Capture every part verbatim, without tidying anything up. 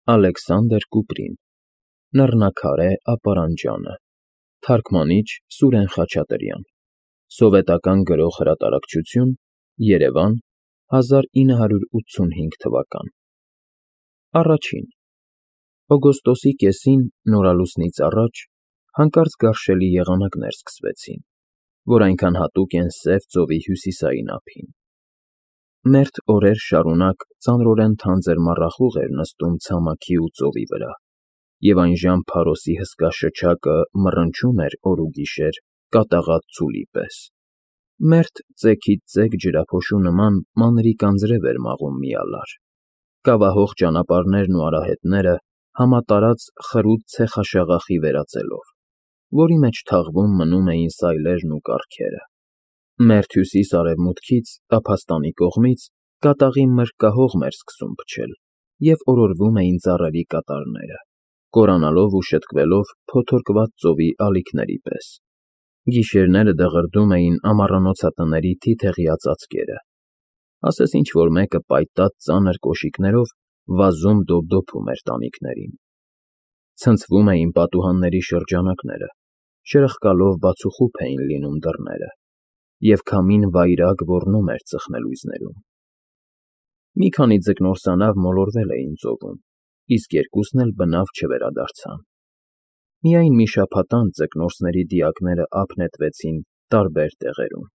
Ալեքսանդր Կուպրին, Լեռնակարե ապարանջանը, Թարգմանիչ Սուրեն Խաչատրյան, Սովետական Գրող֊հրատարակչություն, Երևան, հազար ինը հարյուր ութսունհինգ թվական։ Առաջին Օգոստոսի կեսին նորալուսնից առաջ հանկարծ գարշելի եղանակներ սկսվեցին, որ այնքան հատուկ են Սև ծովի հյուսիսային ափին։ Մերթ օրեր շարունակ ծանրորեն թանձր մառախուղ էր նստում ցամաքի ու ծովի վրա, և այնժամ Փարոսի հսկա շչակը մռնչում էր օր ու գիշեր կատաղած ծուլի պես։ Մերթ ծեքից ծեք ջրափոշու նման մանրիկ անձրև էր մաղում մի ալար, կավահող ճանապարհներն ու արահետները համատարած խրուտ ցեխաշաղախի վերածելով, որի մեջ թաղվում մնում էին սայլերն ու կառքերը։ Մերթ հյուսիս֊արևմուտքից, տափաստանի կողմից, կատաղի մրրկահողմ էր սկսում փչել, և օրորվում էին ծառերի կատարները, կորանալով ու շտկվելով փոթորկված ծովի ալիքների պես։ Գիշերները դղրդում էին ամառանոցատների թիթեղյա ծածկերը, ասես ինչ֊որ մեկը պայտած ծանր կոշիկներով վազում դոպդոպում էր տանիքներին։ Ցնցվում էին պատուհանների շրջանակները, շրխկալով բացուխուփ էին լինում դռները, և քամին վայրագ ոռնում էր ծխնելույզներում։ Մի քանի ձկնորսանավ մոլորվել էին ծովում, իսկ երկուսն էլ բնավ չվերադարձան։ Միայն մի շաբաթ անց ձկնորսների դիակները ափ նետվեցին տարբեր տեղերում։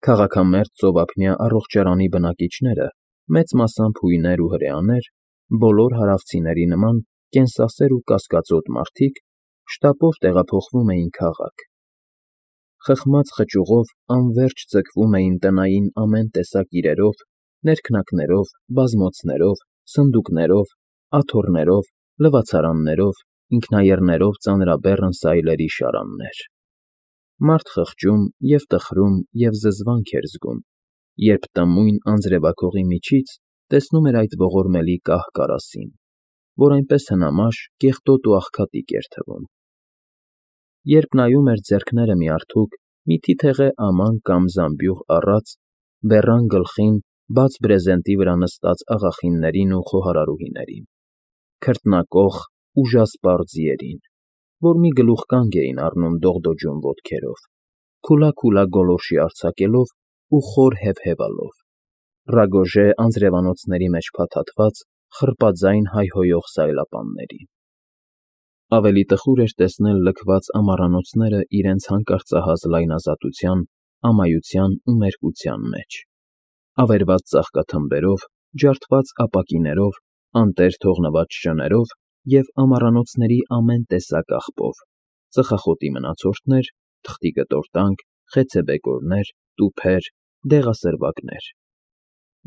Քաղաքամերձ ծովափնյա առողջարանի բնակիչները, մեծ մասամբ հույներ ու հրեաներ, բոլոր հարավցիների նման կենսասեր ու կասկածոտ մարդիկ, շտապով տեղափոխվում էին քաղաք։ Խխմած խճուղով անվերջ ձգվում էին տնային ամեն տեսակ իրերով, ներքնակներով, բազմոցներով, սնդուկներով, աթոռներով, լվացարաններով, ինքնաեռներով ծանրաբեռն սայլերի շարաններ։ Մարդ խղճում և տխրում և զզվանք էր զգում, երբ տմույն անձրևաքողի միջից տեսնում էր այդ ողորմելի կահ կարասին, որ այնպես հնամաշ, կեղտոտ ու աղքատիկ էր թվում։ Երբ նայում էր ձեռքները միարդուկ մի թիթեղե աման կամ զամբյուղ առած, բեռան գլխին բաց բրեզենտի վրա նստած աղախիններին ու խոհարարուհիներին, քրտնակոխ, ուժասպառ ձիերին, որ մի գլուխկանգ էին առնում դողդոջուն ոտքերով, քուլա֊քուլա գոլորշի արձակելով ու խոր հեվհևալով, ռագոժե անձրևանոցների մեջ փաթաթված խռպաձայն հայհոյող սայլապաններին։ Ավելի տխուր էր տեսնել լքված ամառանոցները իրենց հանկարծահաս լայնազատության, ամայության ու մերկության մեջ, ավերված ծաղկաթմբերով, ջարդված ապակիներով, անտեր թողնված շներով և ամառանոցների ամեն տեսակ աղբով՝ ծխախոտի մնացորդներ, թղթի կտորտանք, խեցեբեկորներ, տուփեր, դեղասրվակներ։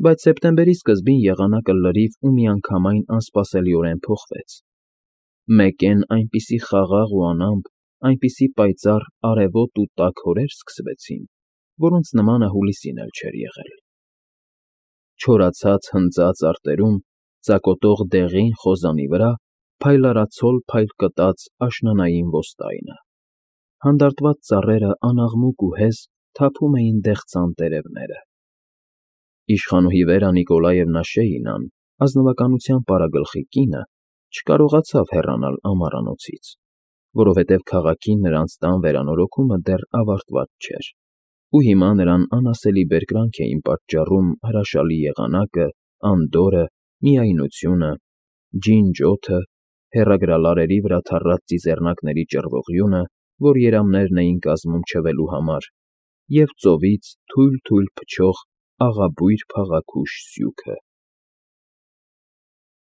Բայց սեպտեմբերի սկզբին եղանակը լրիվ ու միանգամայն անսպասելիորեն փոխվեց։ Մեկեն այնպիսի խաղաղ ու անամպ, այնպիսի պայծառ արևոտ ու տաք օրեր սկսվեցին, որոնց նմանը հուլիսին էլ չէր եղել։ Չորացած հնձած արտերում, ծակոտող դեղին խոզանի վրա փայլարացոլ փայլկտաց աշնանային ոստայնը։ Հանդարտված ծառերը անաղմուկ ու հեզ թափում էին դեղցան տերևները։ Իշխանուհի Վերա Նիկոլաևնա Շեինան, ազնվականության պարագլխի կինը, չկարողացավ հեռանալ ամառանոցից, որովհետև քաղաքին նրանց տան վերանորոգումը դեռ ավարտված չէր, ու հիմա նրան անասելի բերկրանք էին պատճառում հրաշալի եղանակը, անդորրը, միայնությունը, ջինջ օդը, հեռագրալարերի վրա թառած ծիծեռնակների ճռվողյունը, որ երամներն էին կազմում չվելու համար, և ծովից թույլ֊թույլ փչող աղաբույր փաղաքուշ սյուքը։